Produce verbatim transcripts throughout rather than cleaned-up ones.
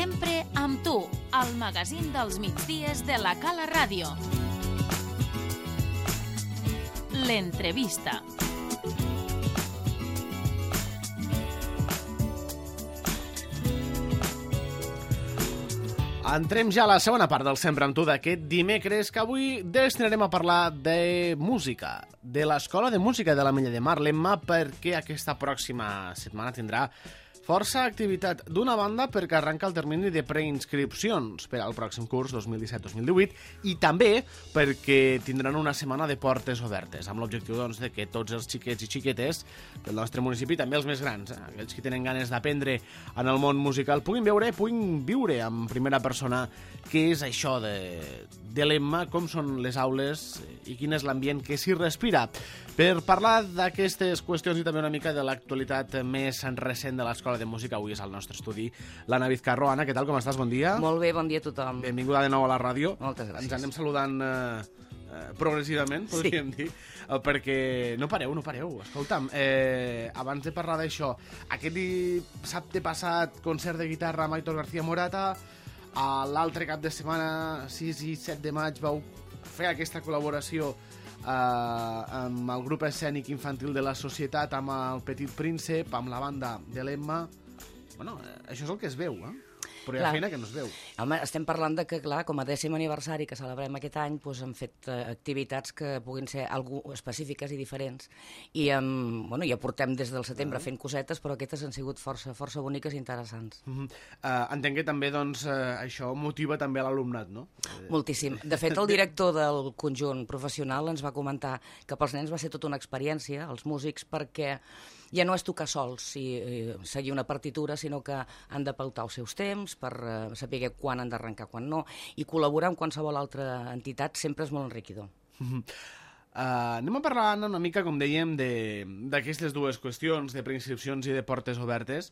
Sempre amb tu, al magazín dels migdies de la Cala Ràdio. L'entrevista. Entrem ja a la segona part del Sempre amb tu d'aquest dimecres, que avui destinarem a parlar de música, de l'Escola de Música de l'Ametlla de Mar, l'Emma, perquè aquesta pròxima setmana tindrà força activitat. D'una banda, perquè arranca el termini de preinscripcions per al pròxim curs dos mil disset dos mil divuit, i també perquè tindran una setmana de portes obertes, amb l'objectiu doncs, de que tots els xiquets i xiquetes del nostre municipi, també els més grans, eh, aquells que tenen ganes d'aprendre en el món musical, puguin veure, puguin viure en primera persona què és això de, de l'Emma, com són les aules i quin és l'ambient que s'hi respira. Per parlar d'aquestes qüestions i també una mica de l'actualitat més recent de l'Escola de Música, avui és al nostre estudi l'Anna Vizcarro. Anna, què tal, com estàs? Bon dia. Molt bé, bon dia a tothom. Benvinguda de nou a la ràdio. Moltes gràcies. Ens anem saludant eh, eh, progressivament, podríem sí. dir, eh, perquè no pareu, no pareu. Escolta'm, eh, abans de parlar d'això, aquest dissabte passat, concert de guitarra amb Aitor García Morata, a l'altre cap de setmana, sis i set de maig, vau fer aquesta col·laboració eh, amb el grup escènic infantil de la Societat, amb el Petit Príncep, amb la banda de l'Emma. Bueno, eh, això és el que es veu, eh? Però hi ha clar. Feina que no es veu. Home, estem parlant de que, clar, com a dècim aniversari que celebrem aquest any, doncs hem fet eh, activitats que puguin ser algú específiques i diferents. I um, bueno, ja portem des del setembre uh-huh. fent cosetes, però aquestes han sigut força, força boniques i interessants. Uh-huh. uh, entenc que també doncs, uh, això motiva també a l'alumnat, no? Moltíssim. De fet, el director del conjunt professional ens va comentar que pels nens va ser tota una experiència, els músics, perquè ja no és tocar sols i eh, seguir una partitura, sinó que han de pautar els seus temps per eh, saber quan han d'arrencar, quan no, i col·laborar amb qualsevol altra entitat sempre és molt enriquidor. Uh, anem a parlar, Anna, una mica, com dèiem, d'aquestes dues qüestions, de preinscripcions i de portes obertes,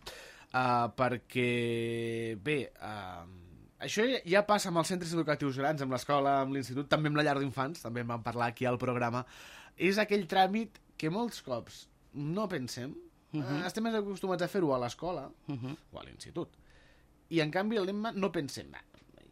uh, perquè, bé, uh, això ja passa amb els centres educatius grans, amb l'escola, amb l'institut, també amb la llar d'infants, també en vam parlar aquí al programa. És aquell tràmit que molts cops no pensem, uh-huh. uh, estem més acostumats a fer-ho a l'escola uh-huh. o a l'institut, i en canvi a l'Emma no pensem,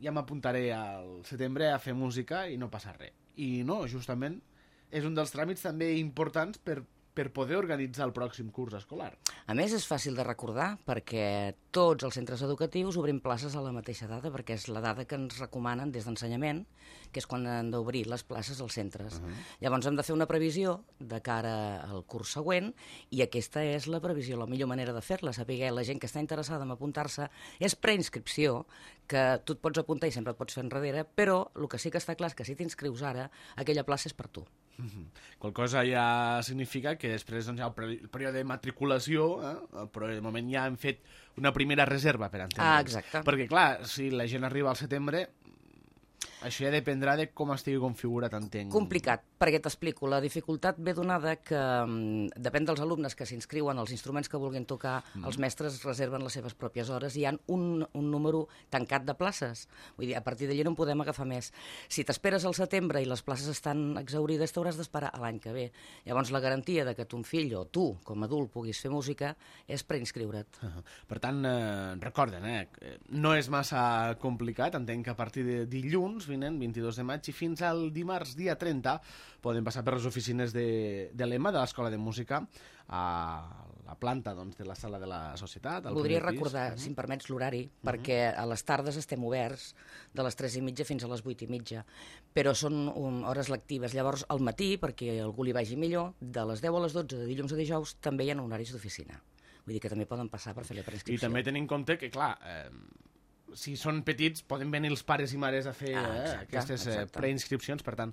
ja m'apuntaré al setembre a fer música i no passa res. I no, justament és un dels tràmits també importants per, per poder organitzar el pròxim curs escolar. A més, és fàcil de recordar perquè tots els centres educatius obrim places a la mateixa data, perquè és la data que ens recomanen des d'ensenyament, que és quan han d'obrir les places als centres. Uh-huh. Llavors hem de fer una previsió de cara al curs següent, i aquesta és la previsió, la millor manera de fer-la, saber la gent que està interessada en apuntar-se, és preinscripció, que tu et pots apuntar i sempre et pots fer enrere, però el que sí que està clar és que si t'inscrius ara, aquella plaça és per tu. Uh-huh. Qual cosa ja significa que després doncs, hi ha el període de matriculació, eh? però de moment ja hem fet una primera reserva, per entendre'ns. Ah, exacte. Perquè, clar, si la gent arriba al setembre, això ja dependrà de com estigui configurat, entenc. Complicat, perquè t'explico. La dificultat ve donada que um, depèn dels alumnes que s'inscriuen, els instruments que vulguin tocar, mm. els mestres reserven les seves pròpies hores i hi ha un, un número tancat de places. Vull dir, a partir d'allí no en podem agafar més. Si t'esperes al setembre i les places estan exhaurides, t'hauràs d'esperar a l'any que ve. Llavors, la garantia de que ton fill o tu, com a adult, puguis fer música és preinscriure't. Uh-huh. Per tant, eh, recorden, eh, no és massa complicat. Entenc que a partir de dilluns vinent, vint-i-dos de maig, i fins al dimarts, dia trenta, poden passar per les oficines de, de l'Emma, de l'Escola de Música, a la planta doncs, de la sala de la Societat. Voldria recordar, uh-huh. si em permets, l'horari, uh-huh. perquè a les tardes estem oberts de les tres i mitja fins a les vuit i mitja, però són um, hores lectives. Llavors, al matí, perquè algú li vagi millor, de les deu a les dotze, de dilluns a dijous, també hi ha horaris d'oficina. Vull dir que també poden passar per fer la preinscripció. I també tenim en compte que, clar, eh, si són petits, poden venir els pares i mares a fer ah, exacte, eh, aquestes eh, preinscripcions, per tant,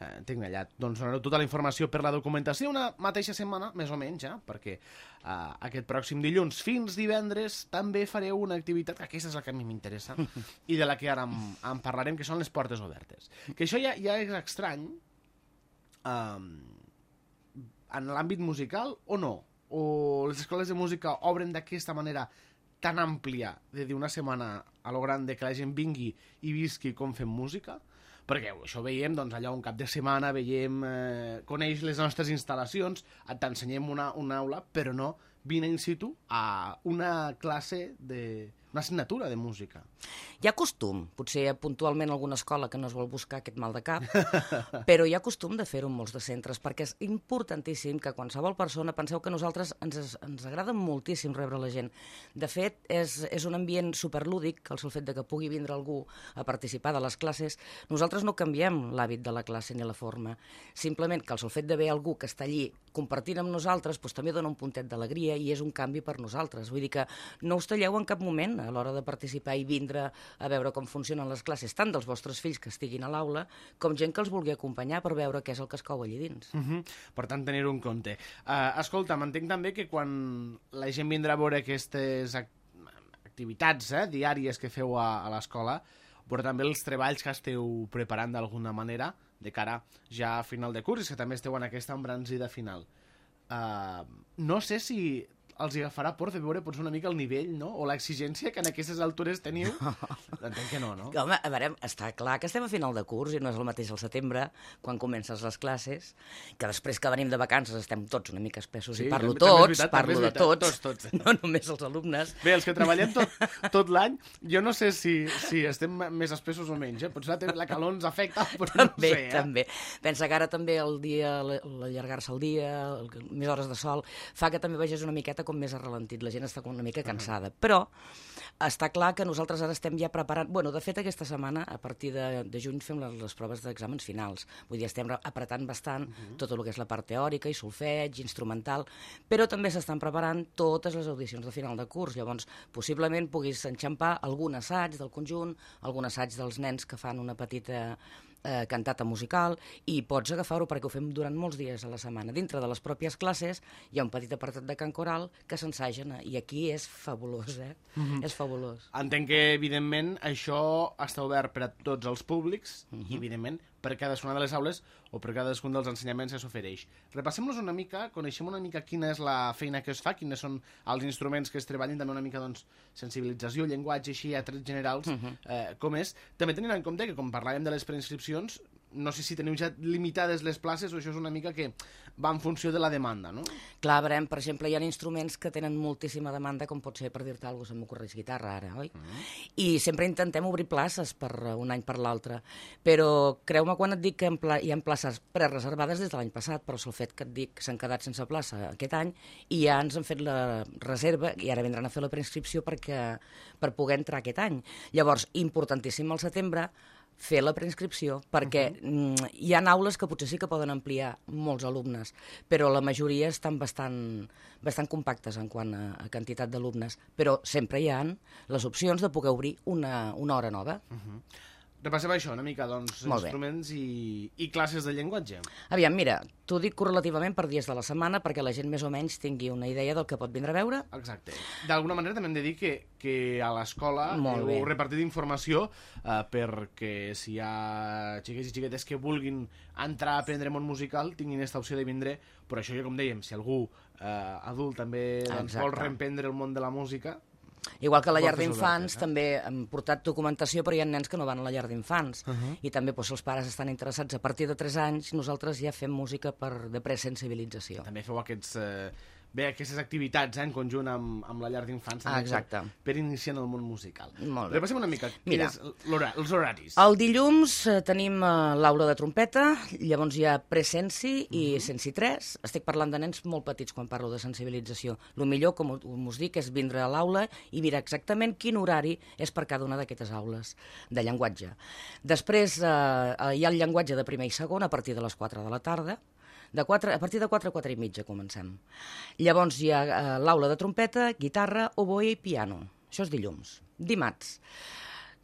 eh, tinc allà. Doncs donareu tota la informació per la documentació una mateixa setmana, més o menys, ja, perquè eh, aquest pròxim dilluns fins divendres també fareu una activitat, que aquesta és la que a mi m'interessa, i de la que ara en, en parlarem, que són les portes obertes. Que això ja, ja és estrany eh, en l'àmbit musical o no? O les escoles de música obren d'aquesta manera tan àmplia de dir una setmana a lo gran de que la gent vingui i visqui com fem música, perquè això veiem doncs, allà un cap de setmana, veiem, eh, coneix les nostres instal·lacions, t'ensenyem una, una aula, però no vine in situ a una classe de una assignatura de música. Hi ha costum, potser puntualment alguna escola que no es vol buscar aquest mal de cap, però hi ha costum de fer-ho en molts de centres, perquè és importantíssim que qualsevol persona, penseu que nosaltres ens, ens agrada moltíssim rebre la gent. De fet, és, és un ambient superlúdic, el sol fet de que pugui vindre algú a participar de les classes. Nosaltres no canviem l'hàbit de la classe ni la forma, simplement que el sol fet d'haver algú que està allí compartint amb nosaltres doncs, també dona un puntet d'alegria i és un canvi per nosaltres. Vull dir que no us talleu en cap moment a l'hora de participar i vindre a veure com funcionen les classes, tant dels vostres fills que estiguin a l'aula, com gent que els vulgui acompanyar per veure què és el que es cou allí dins. Uh -huh. Per tant, tenir-ho en compte. Uh, escolta, m'entenc també que quan la gent vindrà a veure aquestes act activitats eh, diàries que feu a, a l'escola, però també els treballs que esteu preparant d'alguna manera de cara ja a final de curs, que també esteu en aquesta embranzida final. Uh, no sé si els agafarà por de veure potser una mica el nivell, no? O l'exigència que en aquestes altures teniu. Entenc que no, no? Home, a veure, està clar que estem a final de curs i no és el mateix al setembre, quan comences les classes, que després que venim de vacances estem tots una mica espessos, sí, i parlo també, tots, també veritat, parlo de tots, tots, tots, no només els alumnes. Bé, els que treballem tot, tot l'any, jo no sé si, si estem més espessos o menys, eh? Potser la, la calor ens afecta, però també, no sé, eh? També, pensa que ara també el dia, l'allargar-se el dia, el, més hores de sol, fa que també vegis una miqueta com més arrelentit, la gent està una mica cansada, uh -huh. però està clar que nosaltres ara estem ja preparant, bueno, de fet aquesta setmana, a partir de, de juny fem les, les proves d'exàmens finals, vull dir, estem apretant bastant uh -huh. tot el que és la part teòrica i solfeig, instrumental, però també s'estan preparant totes les audicions de final de curs, llavors possiblement puguis enxampar algun assaig del conjunt, algun assaig dels nens que fan una petita Eh, cantata musical, i pots agafar-ho perquè ho fem durant molts dies a la setmana. Dintre de les pròpies classes hi ha un petit apartat de cant coral que s'ensagen, i aquí és fabulós, eh? Mm-hmm. És fabulós. Entenc que, evidentment, això està obert per a tots els públics, mm-hmm. i, evidentment, per cadascuna de les aules o per cadascun dels ensenyaments que s'ofereix. Repassem-los una mica, coneixem una mica quina és la feina que es fa, quines són els instruments que es treballen, també una mica, doncs, sensibilització, llenguatge, així, a trets generals, mm-hmm. eh, com és. També tenint en compte que, com parlàvem de les preinscripcions, no sé si teniu ja limitades les places o això és una mica que va en funció de la demanda, no? Clar, veurem, per exemple, hi ha instruments que tenen moltíssima demanda, com pot ser, per dir-te alguna cosa, se m'ocorreix guitarra ara, oi? Mm. I sempre intentem obrir places per un any per l'altre, però creu-me quan et dic que hi ha places prereservades des de l'any passat, però és el fet que et dic que s'han quedat sense plaça aquest any i ja ens han fet la reserva i ara vindran a fer la preinscripció perquè, per poder entrar aquest any. Llavors, importantíssim al setembre, fer la preinscripció, perquè uh -huh. hi ha aules que potser sí que poden ampliar molts alumnes, però la majoria estan bastant, bastant compactes en quant a, a quantitat d'alumnes, però sempre hi ha les opcions de poder obrir una, una hora nova. Uh -huh. Repassem això una mica, doncs, instruments i, i classes de llenguatge. Aviam, mira, t'ho dic correlativament per dies de la setmana perquè la gent més o menys tingui una idea del que pot vindre a veure. Exacte. D'alguna manera també hem de dir que, que a l'escola heu repartit informació eh, perquè si hi ha xiquets i xiquetes que vulguin entrar a aprendre món musical tinguin aquesta opció de vindre, però això ja com dèiem, si algú eh, adult també doncs, vol reemprendre el món de la música. Igual que a la llar d'infants, eh? també hem portat documentació, però hi ha nens que no van a la llar d'infants. Uh -huh. I també, doncs, si els pares estan interessats a partir de tres anys, nosaltres ja fem música per, de presensibilització. També feu aquests... Eh... Bé, aquestes activitats eh, en conjunt amb, amb la llar d'infants ah, per, per iniciar en el món musical. Molt bé. Repassem una mica els horaris. El dilluns eh, tenim eh, l'aula de trompeta, llavors hi ha presenci i uh -huh. sensi tres. Estic parlant de nens molt petits quan parlo de sensibilització. El millor, com, com us dic, és vindre a l'aula i mirar exactament quin horari és per cada una d'aquestes aules de llenguatge. Després eh, hi ha el llenguatge de primer i segon a partir de les quatre de la tarda. De quatre, a partir de quatre a quatre i mitja comencem. Llavors hi ha eh, l'aula de trompeta, guitarra, oboe i piano. Això és dilluns. Dimarts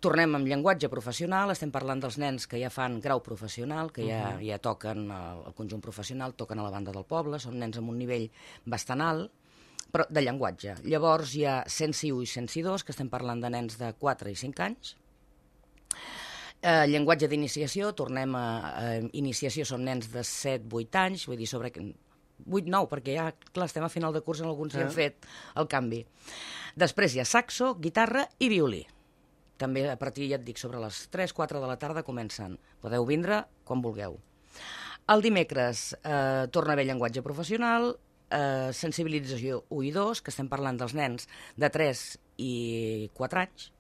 tornem amb llenguatge professional, estem parlant dels nens que ja fan grau professional, que ja, uh -huh. ja toquen el, el conjunt professional, toquen a la banda del poble, són nens amb un nivell bastant alt, però de llenguatge. Llavors hi ha sensi u i sensi dos, que estem parlant de nens de quatre i cinc anys. Uh, llenguatge d'iniciació, tornem a, a iniciació, són nens de set vuit anys, vull dir, sobre vuit nou, perquè ja, clar, estem a final de curs, en alguns ja han fet el canvi. Després hi ha saxo, guitarra i violí. També a partir, ja et dic, sobre les tres quatre de la tarda comencen. Podeu vindre quan vulgueu. El dimecres eh, torna a haver llenguatge professional, eh, sensibilització u i dos, que estem parlant dels nens de tres i quatre anys.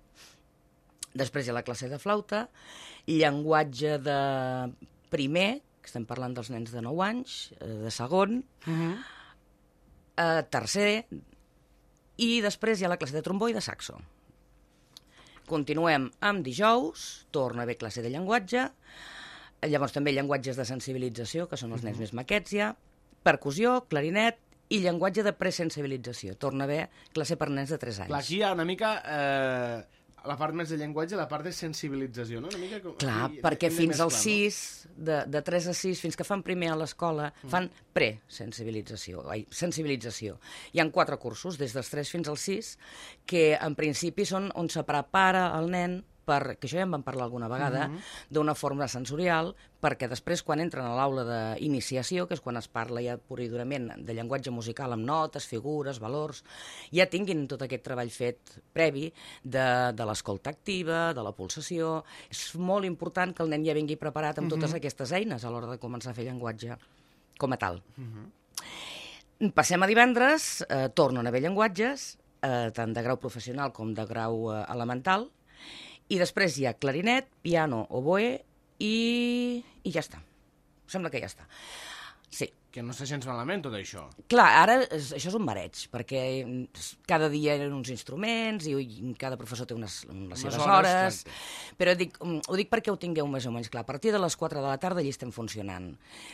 Després hi ha la classe de flauta, llenguatge de primer, que estem parlant dels nens de nou anys, de segon, uh-huh. eh, tercer, i després hi ha la classe de trombó i de saxo. Continuem amb dijous, torna a haver classe de llenguatge, llavors també llenguatges de sensibilització, que són els nens uh-huh. més maquets ja, percussió, clarinet, i llenguatge de presensibilització. Torna a haver classe per nens de tres anys. Clar, aquí hi ha una mica... Eh... la part més de llenguatge, la part de sensibilització, no? Una mica com... Clar, aquí, perquè fins als sis, de, de tres a sis, fins que fan primer a l'escola, mm. fan pre-sensibilització, ai, sensibilització. Hi ha quatre cursos, des dels tres fins als sis, que en principi són on se prepara el nen, per, que això ja en vam parlar alguna vegada, mm-hmm. d'una forma sensorial, perquè després, quan entren a l'aula d'iniciació, que és quan es parla ja pur i durament de llenguatge musical amb notes, figures, valors, ja tinguin tot aquest treball fet previ de, de l'escolta activa, de la pulsació. És molt important que el nen ja vingui preparat amb mm-hmm. totes aquestes eines a l'hora de començar a fer llenguatge com a tal. Mm-hmm. Passem a divendres, eh, tornen a haver llenguatges, eh, tant de grau professional com de grau eh, elemental, i després hi ha clarinet, piano, oboe i... i ja està. Sembla que ja està. Sí. Que no sé gens malament, tot això. Clar, ara és, això és un mareig, perquè cada dia hi ha uns instruments i cada professor té unes, les seves hores, hores però dic, ho dic perquè ho tingueu més o menys clar. A partir de les quatre de la tarda allà estem funcionant.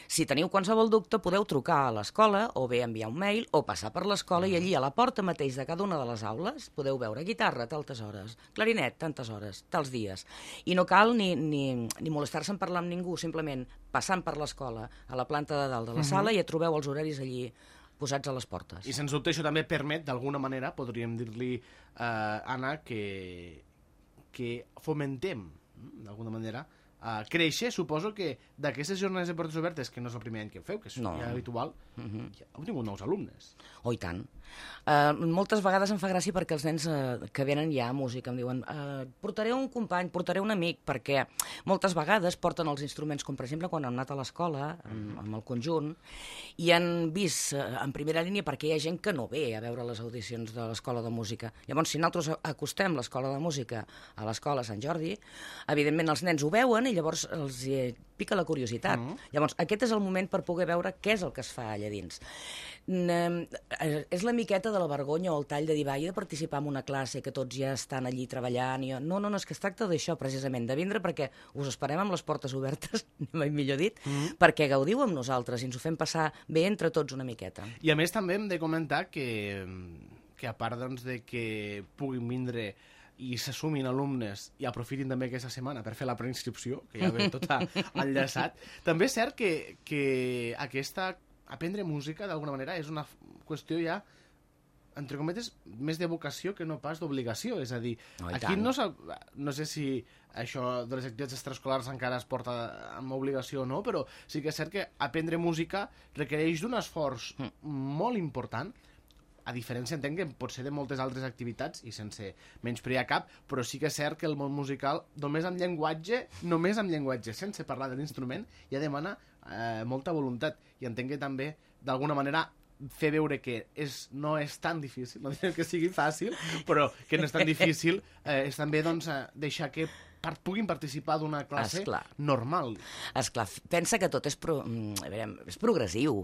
Si teniu qualsevol dubte, podeu trucar a l'escola o bé enviar un mail o passar per l'escola mm. i allí a la porta mateix de cada una de les aules podeu veure guitarra, tantes hores, clarinet, tantes hores, tals dies. I no cal ni, ni, ni molestar-se en parlar amb ningú, simplement passant per l'escola a la planta de dalt de la mm-hmm. sala i ja trobeu els horaris allí posats a les portes. I sens dubte això també permet, d'alguna manera, podríem dir-li, eh, Anna, que, que fomentem, d'alguna manera, a créixer. Suposo que d'aquestes jornades de portes obertes, que no és el primer any que feu, que és no. ja habitual, uh-huh. ja heu tingut nous alumnes. Oh, i tant. Uh, moltes vegades em fa gràcia perquè els nens uh, que venen ja a música em diuen uh, portaré un company, portaré un amic, perquè moltes vegades porten els instruments, com per exemple quan han anat a l'escola amb, amb el conjunt, i han vist uh, en primera línia perquè hi ha gent que no ve a veure les audicions de l'escola de música. Llavors, si nosaltres acostem l'escola de música a l'escola Sant Jordi, evidentment els nens ho veuen i llavors els hi pica la curiositat. Mm. Llavors, aquest és el moment per poder veure què és el que es fa allà dins. Mm, és la miqueta de la vergonya o el tall de dir, va, he de participar en una classe que tots ja estan allí treballant. I jo, no, no, no, és que es tracta d'això, precisament, de vindre perquè us esperem amb les portes obertes, mai millor dit, mm. perquè gaudiu amb nosaltres i ens ho fem passar bé entre tots una miqueta. I a més també hem de comentar que, que a part doncs, de que puguin vindre i s'assumin alumnes i aprofitin també aquesta setmana per fer la preinscripció, que ja ve tot enllaçat. També és cert que, que aquesta, aprendre música, d'alguna manera, és una qüestió ja, entre cometes, més de vocació que no pas d'obligació. És a dir, oh, aquí no, no sé si això de les activitats extraescolars encara es porta amb obligació o no, però sí que és cert que aprendre música requereix d'un esforç mm. molt important, a diferència, entenc, que pot ser de moltes altres activitats i sense menysprear cap, però sí que és cert que el món musical, només amb llenguatge, només amb llenguatge, sense parlar de l'instrument, ja demana eh, molta voluntat. I entenc que també, d'alguna manera, fer veure que és, no és tan difícil, no diré que sigui fàcil, però que no és tan difícil, eh, és també doncs, deixar que per, puguin participar d'una classe Esclar. normal. Esclar, pensa que tot és, pro, a veure, és progressiu.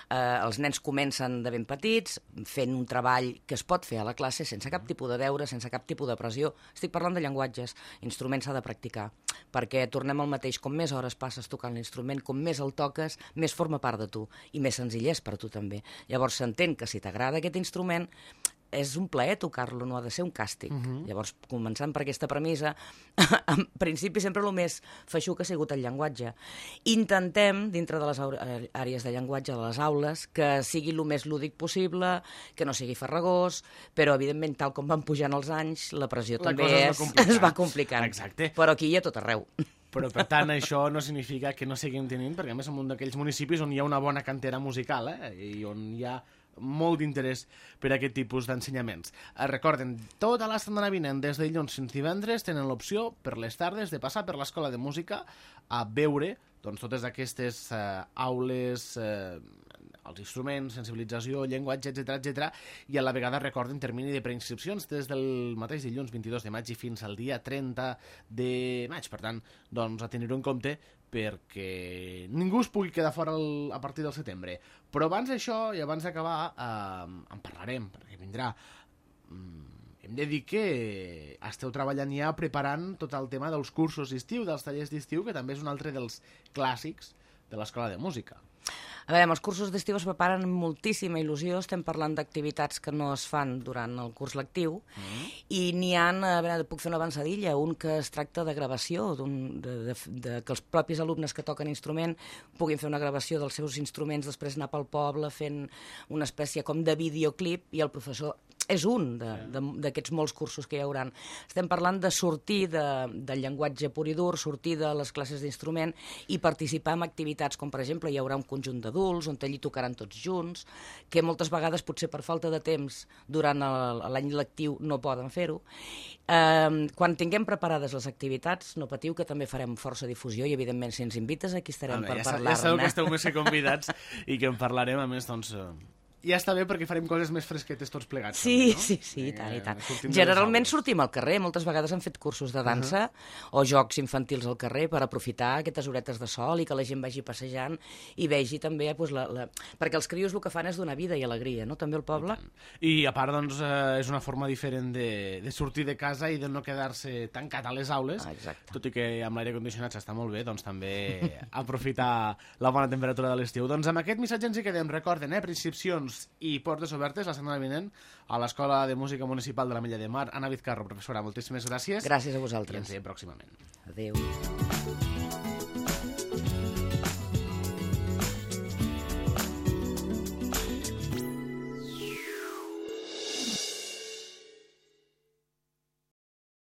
Eh, els nens comencen de ben petits, fent un treball que es pot fer a la classe sense cap tipus de deure, sense cap tipus de pressió. Estic parlant de llenguatges, instruments s'ha de practicar, perquè tornem al mateix, com més hores passes tocant l'instrument, com més el toques, més forma part de tu, i més senzill és per tu també. Llavors s'entén que si t'agrada aquest instrument, és un plaer tocar-lo, no ha de ser un càstig. Uh-huh. Llavors, començant per aquesta premissa, en principi sempre el més feixuc ha sigut el llenguatge. Intentem, dintre de les àrees de llenguatge de les aules, que sigui el més lúdic possible, que no sigui farragós, però, evidentment, tal com van pujant els anys, la pressió la també es, es va complicant. Exacte. Però aquí hi ha tot arreu. Però, per tant, això no significa que no seguim tenint, perquè, a més, en un d'aquells municipis on hi ha una bona cantera musical, eh? I on hi ha molt d'interès per a aquest tipus d'ensenyaments. Recorden, tota la setmana vinent, des de dilluns fins divendres, tenen l'opció per les tardes de passar per l'escola de música a veure doncs, totes aquestes eh, aules, eh, als instruments, sensibilització, llenguatge, etcètera, etcètera, i a la vegada recorden termini de preinscripcions des del mateix dilluns vint-i-dos de maig i fins al dia trenta de maig. Per tant, doncs, a tenir-ho en compte perquè ningú es pugui quedar fora el, a partir del setembre. Però abans d'això i abans d'acabar eh, en parlarem, perquè vindrà... Mm, hem de dir que esteu treballant ja preparant tot el tema dels cursos d'estiu, dels tallers d'estiu, que també és un altre dels clàssics de l'Escola de Música. A veure, els cursos d'estiu es preparen amb moltíssima il·lusió, estem parlant d'activitats que no es fan durant el curs lectiu, mm. i n'hi ha, a veure, puc fer una avançadilla, un que es tracta de gravació, de, de, de, que els propis alumnes que toquen instrument puguin fer una gravació dels seus instruments, després anar pel poble fent una espècie com de videoclip, i el professor és un d'aquests molts cursos que hi haurà. Estem parlant de sortir de, del llenguatge pur i dur, sortir de les classes d'instrument i participar en activitats com, per exemple, hi haurà un conjunt d'adults on allí tocaran tots junts, que moltes vegades, potser per falta de temps, durant l'any lectiu no poden fer-ho. Eh, quan tinguem preparades les activitats, no patiu, que també farem força difusió i, evidentment, si ens invites, aquí estarem veure, per ja parlar-ne. Ja sabeu que esteu més que convidats i que en parlarem, a més, doncs... Ja està bé perquè farem coses més fresquetes tots plegats. Sí, també, no? sí, sí, i tant, i tant. Eh, Generalment sortim al carrer, moltes vegades han fet cursos de dansa uh -huh. o jocs infantils al carrer per aprofitar aquestes horetes de sol i que la gent vagi passejant i vegi també... Pues, la, la... Perquè els crios el que fan és donar vida i alegria, no? També al poble. I, I a part, doncs, eh, és una forma diferent de, de sortir de casa i de no quedar-se tancat a les aules, ah, exacte. Tot i que amb l'aire condicionat s'està molt bé, doncs també aprofitar la bona temperatura de l'estiu. Doncs amb aquest missatge ens hi quedem. Recorden, eh, preinscripcions i portes obertes la setmana vinent a l'Escola de Música Municipal de l'Ametlla de Mar. Anna Vizcarro, professora, moltíssimes gràcies. Gràcies a vosaltres. I ens veiem pròximament. Adéu.